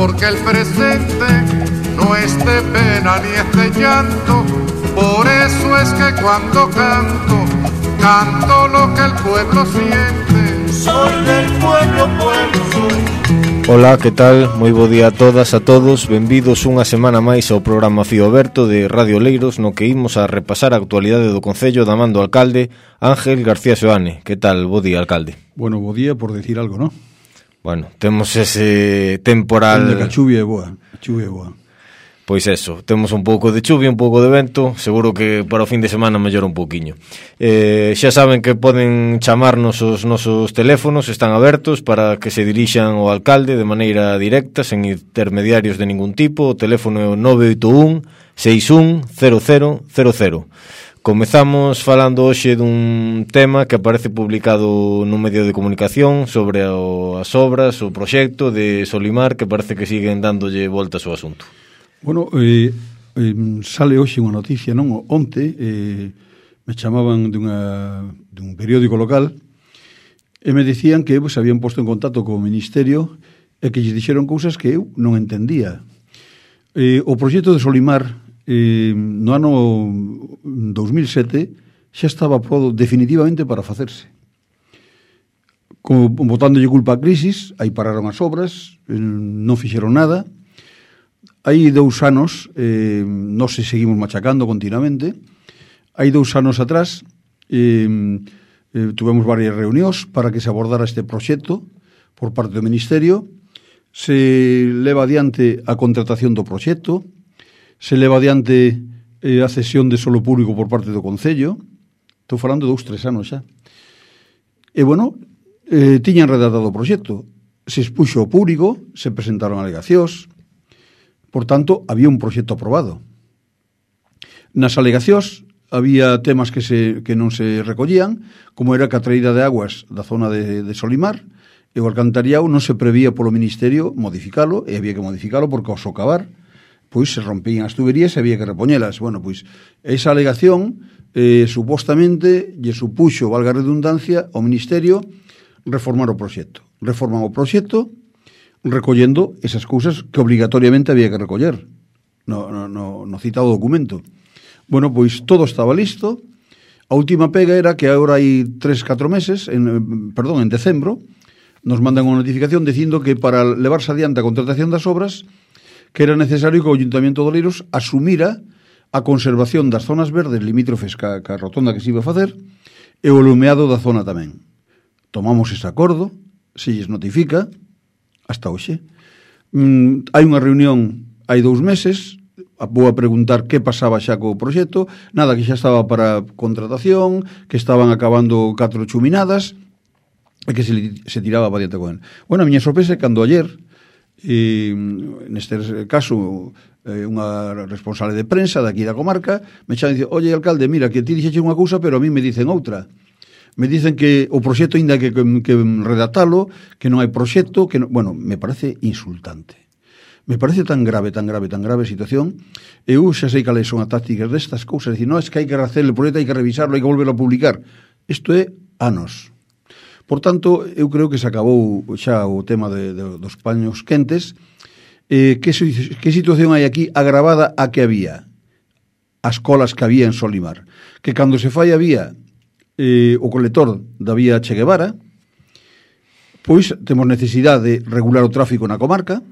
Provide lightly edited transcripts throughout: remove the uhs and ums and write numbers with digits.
porque el presente no es de pena ni es de llanto. Por eso es que cuando canto, canto lo que el pueblo siente. Soy del pueblo, pueblo soy. Ola, que tal? Moi bo día a todas, a todos. Benvidos unha semana máis ao programa Fío Aberto de Radio Leiros, no que imos a repasar a actualidade do Concello da man do alcalde Ángel García Seoane. Que tal? Bo día, alcalde. Bueno, bo día por decir algo, ¿no? Bueno, temos ese temporal... Que a chuvia é boa, a chuvia é boa. Pois eso, temos un pouco de chuvia, un pouco de vento. Seguro que para o fin de semana mellora un pouquiño. Xa saben que poden chamarnos os nosos teléfonos, están abertos para que se dirixan ao alcalde de maneira directa, sen intermediarios de ningún tipo. O teléfono é o 981 61 0000. Comezamos falando hoxe dun tema que aparece publicado nun medio de comunicación sobre as obras, o proxecto de Solimar, que parece que siguen dándolle voltas ao asunto. Bueno, sale hoxe unha noticia, non? Onte me chamaban dun periódico local e me dicían que se habían posto en contacto co Ministerio e que lles dixeron cousas que eu non entendía. O proxecto de Solimar no ano 2007 xa estaba aprobado definitivamente para facerse. Botándolle culpa a crisis, aí pararon as obras, non fixeron nada. Hai 2 anos, nós se seguimos machacando continuamente. Hai 2 anos atrás tuvemos varias reunións para que se abordara este proxecto por parte do Ministerio. Se leva adiante a contratación do proxecto, se leva adiante a cesión de solo público por parte do Concello. Estou falando de 2-3 anos xa. E, bueno, tiñan redactado o proxecto. Se expuxo ao público, se presentaron alegacións. Por tanto, había un proxecto aprobado. Nas alegacións había temas que non se recollían, como era que a traída de aguas da zona de Solimar e o alcantariado non se prevía polo Ministerio modificalo, e había que modificalo porque ao socavar pois se rompían as tuberías e había que repoñelas. Bueno, pois esa alegación supostamente lle supuxo, valga a redundancia, ao Ministerio reformar o proxecto. Reforman o proxecto recollendo esas cousas que obrigatoriamente había que recoller no citado documento. Bueno, pois todo estaba listo. A última pega era que agora hai 3-4 meses, en decembro, nos mandan unha notificación dicindo que para levarse adiante a contratación das obras que era necesario que o Ayuntamiento de Oleiros asumira a conservación das zonas verdes limítrofes ca rotonda que se iba a facer e o lumeado da zona tamén. Tomamos ese acordo, se lles notifica, hasta hoxe. Hai unha reunión hai 2 meses, vou a preguntar que pasaba xa co proxecto, nada, que xa estaba para contratación, que estaban acabando 4 chuminadas e que se tiraba para diante con él. Bueno, a miña sorpresa é cando ayer, neste caso, unha responsable de prensa daqui da comarca, me chama e dice, oye, alcalde, mira, que ti dixeche unha cousa, pero a mí me dicen outra. Me dicen que o proxecto ainda que redactalo, que non hai proxecto, que non... Bueno, me parece insultante. Me parece tan grave a situación. Eu xa sei cales son as tácticas destas cousas. Dicir, non, es que hai que hacer o proxecto, hai que revisarlo, hai que volverlo a publicar. Isto é anos. Por tanto, eu creo que se acabou xa o tema dos paños quentes. Que situación hai aquí agravada a que había? As colas que había en Solimar. Que cando se fai había o colector da vía Che Guevara, pois temos necesidade de regular o tráfico na comarca,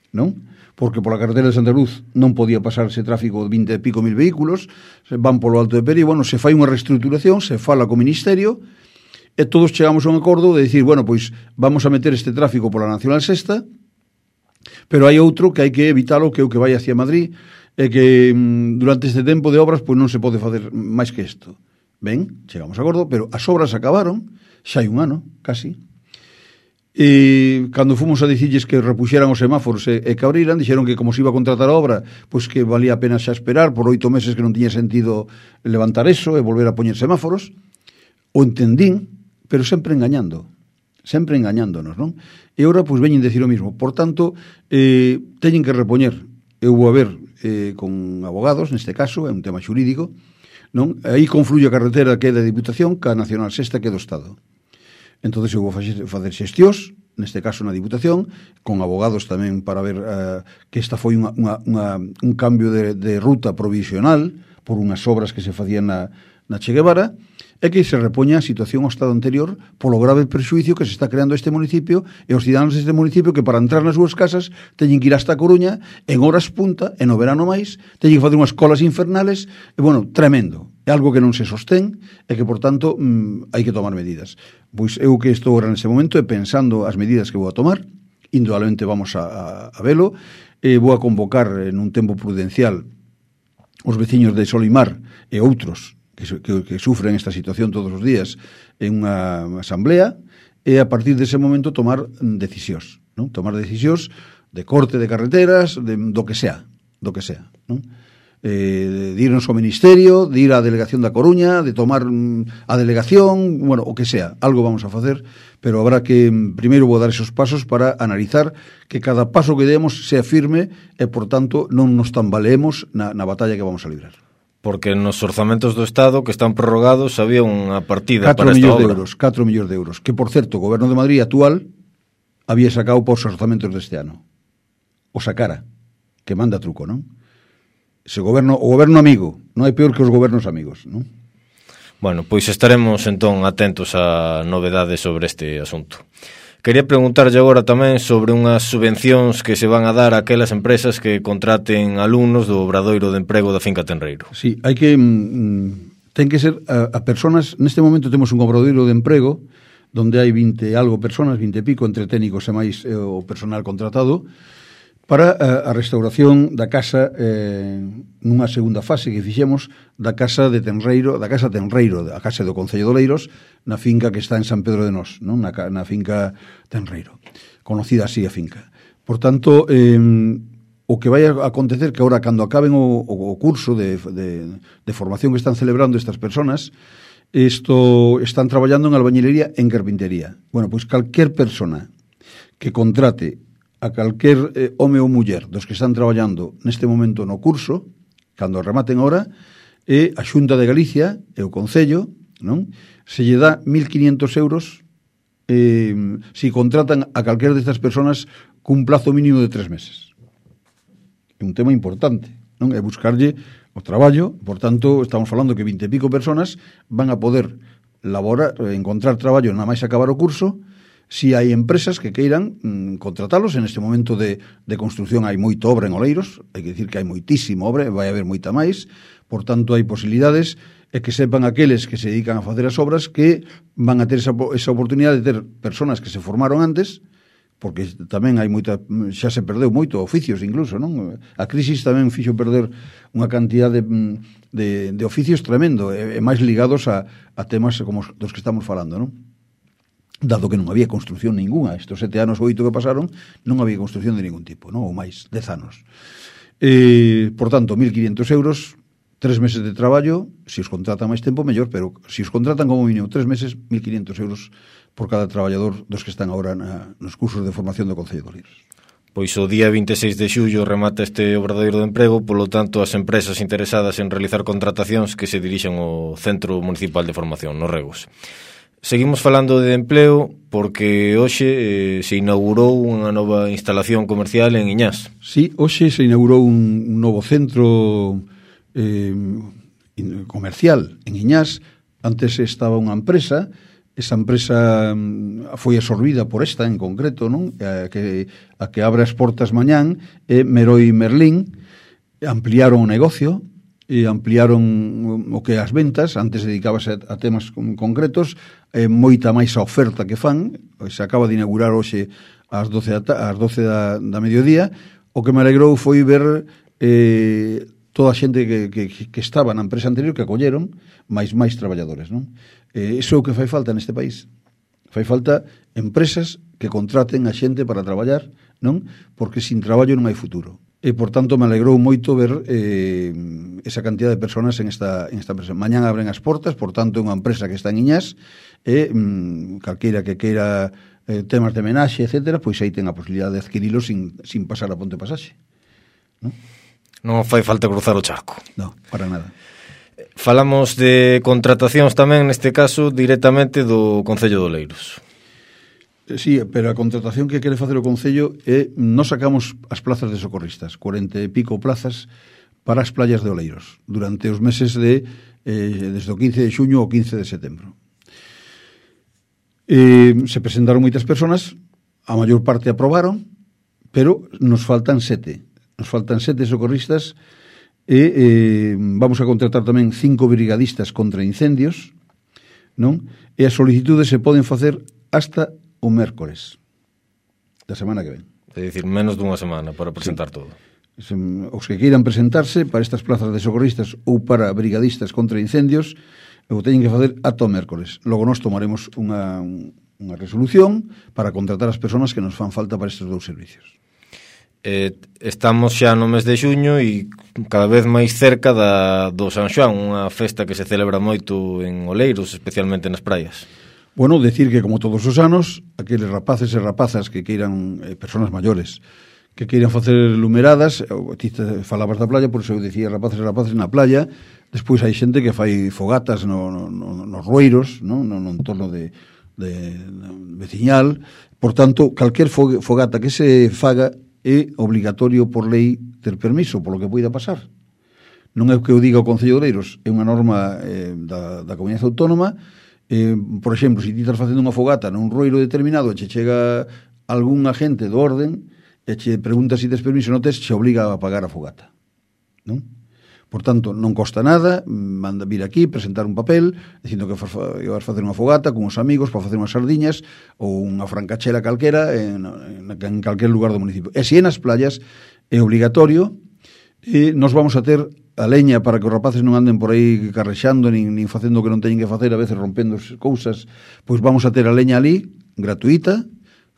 non? Porque pola carretera de Santa Luz non podía pasarse tráfico de 20 e pico mil vehículos, van polo Alto de Peri, bueno, se fai unha reestruturación, se fala co Ministerio, e todos chegamos a un acordo de dicir, bueno, pois vamos a meter este tráfico pola Nacional Sexta, pero hai outro que hai que evitalo, que é o que vai hacia Madrid, e que durante este tempo de obras pois non se pode facer máis que isto. Ben, chegamos a acordo, pero as obras acabaron, xa hai un ano, casi. E cando fomos a dicirles que repuxeran os semáforos e que abriran, dixeron que como se iba a contratar a obra, pois que valía a pena xa esperar por 8 meses, que non tiña sentido levantar eso e volver a poñer semáforos. O entendín, pero sempre engañándonos, non? E agora, pois, veñen dicir o mismo. Por tanto, teñen que repoñer. Eu vou a ver con abogados, neste caso, é un tema xurídico, non? Aí confluye a carretera que é da Diputación ca Nacional Sexta que é do Estado. Entonces eu vou facer xestións, neste caso na Diputación, con abogados tamén para ver que esta foi un cambio de ruta provisional por unhas obras que se facían na Che Guevara, e que se repoña a situación ao estado anterior polo grave perxuicio que se está creando este municipio e os cidadanos deste municipio que para entrar nas súas casas teñen que ir hasta a Coruña en horas punta, e no verano máis teñen que facer unhas colas infernales, e bueno, tremendo, é algo que non se sostén e que por tanto hai que tomar medidas. Pois eu que estou agora nese momento e pensando as medidas que vou a tomar, indudablemente vamos a velo, e vou a convocar en un tempo prudencial os veciños de Solimar e outros que sufren esta situación todos os días en unha asamblea, e a partir dese momento tomar decisións, non? Tomar decisións de corte de carreteras, do que sea, non? De irnos ao Ministerio, de ir á Delegación da Coruña, de tomar a delegación, bueno, o que sea, algo vamos a facer, pero habrá que, primeiro vou dar esos pasos para analizar que cada paso que demos sea firme e, por tanto, non nos tambaleemos na batalla que vamos a librar. Porque nos orzamentos do Estado que están prorrogados había unha partida para esta obra. 4 millóns de euros, que, por certo, o Goberno de Madrid actual había sacado por os orzamentos deste ano. O sacara, que manda truco, non? O goberno amigo, non hai peor que os gobernos amigos, non? Bueno, pois estaremos entón atentos a novedades sobre este asunto. Quería preguntarlle agora tamén sobre unhas subvencións que se van a dar a aquelas empresas que contraten alumnos do obradoiro de emprego da finca Tenreiro. Sí, hai que ten que ser a personas, neste momento temos un obradoiro de emprego donde hai 20 algo personas, 20 e pico, entre técnicos e máis o personal contratado, para a restauración da casa nunha segunda fase que fixemos da casa de Tenreiro, a casa do Concello de Oleiros, na finca que está en San Pedro de Nós, non? Na finca Tenreiro, conocida así a finca. Por tanto, o que vai a acontecer que agora, cando acaben o curso de formación que están celebrando estas personas, están traballando en albañilería, en carpintería. Bueno, pois calquer persona que contrate a calquer home ou muller dos que están traballando neste momento no curso, cando rematen ahora, e a Xunta de Galicia e o Concello, non? Se lle dá 1.500 euros si contratan a calquer destas personas cun plazo mínimo de 3 meses. É un tema importante, non? É buscarlle o traballo, por tanto, estamos falando que 20 e pico personas van a poder encontrar traballo na máis acabar o curso. Si hai empresas que queiran contratalos, en este momento de construcción hai moito obra en Oleiros, hai que dicir que hai moitísimo obra, vai haber moita máis, por tanto hai posibilidades, e que sepan aqueles que se dedican a facer as obras que van a ter esa oportunidade de ter personas que se formaron antes, porque tamén hai moita, xa se perdeu moito, oficios incluso, non? A crisis tamén fixo perder unha cantidad de oficios tremendo, e máis ligados a temas como dos que estamos falando, non? Dado que non había construcción ninguna, estes 7 anos ou 8 que pasaron, non había construcción de ningún tipo, non? Ou máis, 10 anos. Por tanto, 1.500 euros, 3 meses de traballo, se os contratan máis tempo, mellor, pero se os contratan como mínimo 3 meses, 1.500 euros por cada traballador dos que están agora nos cursos de formación do Concello de Oleiros. Pois o día 26 de xullo remata este obradoiro de emprego, polo tanto, as empresas interesadas en realizar contratacións que se dirixan ao Centro Municipal de Formación, nos Regos. Seguimos falando de empleo porque hoxe se inaugurou unha nova instalación comercial en Iñás. Sí, hoxe se inaugurou un novo centro comercial en Iñás. Antes estaba unha empresa, esa empresa foi absorbida por esta en concreto, non? A que abre as portas mañán, Meroi Merlín, ampliaron o negocio, e ampliaron o que as ventas, antes dedicábase a temas concretos, moita máis a oferta que fan, se acaba de inaugurar hoxe ás 12 da mediodía. O que me alegrou foi ver toda a xente que estaba na empresa anterior, que acolleron máis traballadores, non? Iso é o que fai falta neste país. Fai falta empresas que contraten a xente para traballar, non? Porque sin traballo non hai futuro. E, por tanto, me alegrou moito ver esa cantidad de personas en esta empresa. Mañán abren as portas, por tanto, é unha empresa que está en Iñás, e calqueira que queira temas de menaxe, etcétera, pois aí ten a posibilidade de adquirilo sin pasar a ponte pasaxe. Non fai falta cruzar o charco. Non, para nada. Falamos de contratacións tamén, neste caso, directamente do Concello de Oleiros. Sí, pero a contratación que quere facer o Concello é nos sacamos as plazas de socorristas, 40 e pico plazas para as playas de Oleiros durante os meses de desde o 15 de xuño ao 15 de setembro. Se presentaron moitas personas, a maior parte aprobaron, pero nos faltan 7 socorristas e vamos a contratar tamén 5 brigadistas contra incendios, non? E as solicitudes se poden facer hasta o mércores da semana que ven. É dicir, menos dunha semana para presentar todo. Os que queiran presentarse para estas plazas de socorristas ou para brigadistas contra incendios o teñen que facer ata o mércores. Logo nós tomaremos unha resolución para contratar as persoas que nos fan falta para estes 2 servicios. Estamos xa no mes de xuño e cada vez máis cerca do San Xoán, unha festa que se celebra moito en Oleiros, especialmente nas praias. Bueno, decir que como todos os anos, aqueles rapaces e rapazas que queiran, personas maiores, que queiran facer lumeradas, ti falabas da playa, por iso eu dicía rapaces e rapaces na playa, despois hai xente que fai fogatas nos rueiros, no entorno de veciñal, por tanto, calquer fogata que se faga é obligatorio por lei ter permiso, polo que poida pasar. Non é o que eu diga o Concello de Oleiros, é unha norma da Comunidade Autónoma. Por exemplo, se ti estás facendo unha fogata nun rueiro determinado e che chega algún agente do orden e che pregunta se tes permiso non tes, che obliga a pagar a fogata, non? Por tanto, non costa nada, manda vir aquí, presentar un papel dicindo que vas facer unha fogata con os amigos para facer unhas sardiñas ou unha francachela calquera en calquer lugar do municipio. E se nas playas é obligatorio, e nos vamos a ter a leña para que os rapaces non anden por aí carrexando nin facendo o que non teñen que facer, a veces rompendo cousas, pois vamos a ter a leña ali, gratuita,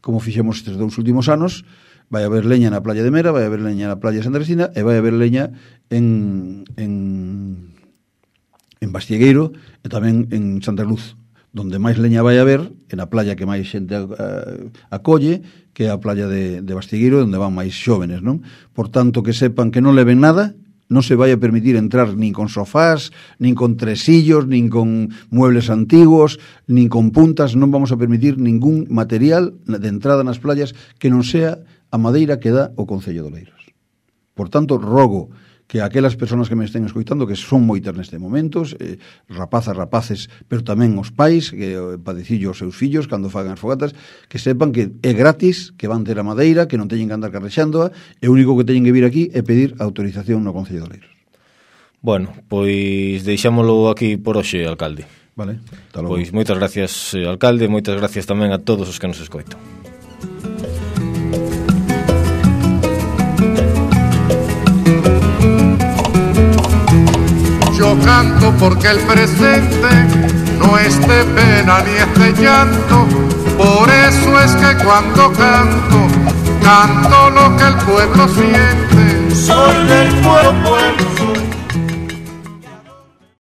como fixemos estes 2 últimos anos. Vai haber leña na playa de Mera, vai haber leña na playa de Santa Cristina e vai haber leña en Bastiegueiro e tamén en Santa Luz, donde máis leña vai haber, en a playa que máis xente acolle, que é a playa de Bastiegueiro, onde van máis xóvenes, non? Por tanto, que sepan que non leven nada, non se vai a permitir entrar nin con sofás, nin con tresillos, nin con muebles antiguos, nin con puntas. Non vamos a permitir ningún material de entrada nas playas que non sea a madeira que dá o Concello de Oleiros. Por tanto, rogo que aquelas persoas que me estén escoitando, que son moitas neste momento, rapaces, pero tamén os pais, que padecillo os seus fillos cando fagan as fogatas, que sepan que é gratis, que van ter a madeira, que non teñen que andar carrexándoa, e o único que teñen que vir aquí é pedir autorización no Concello de Oleiros. Bueno, pois deixámolo aquí por hoxe, alcalde. Vale, hasta logo. Pois moitas gracias, alcalde, moitas gracias tamén a todos os que nos escoitan. Yo canto porque el presente no es de pena ni es de llanto, por eso es que cuando canto, canto lo que el pueblo siente. Soy del pueblo.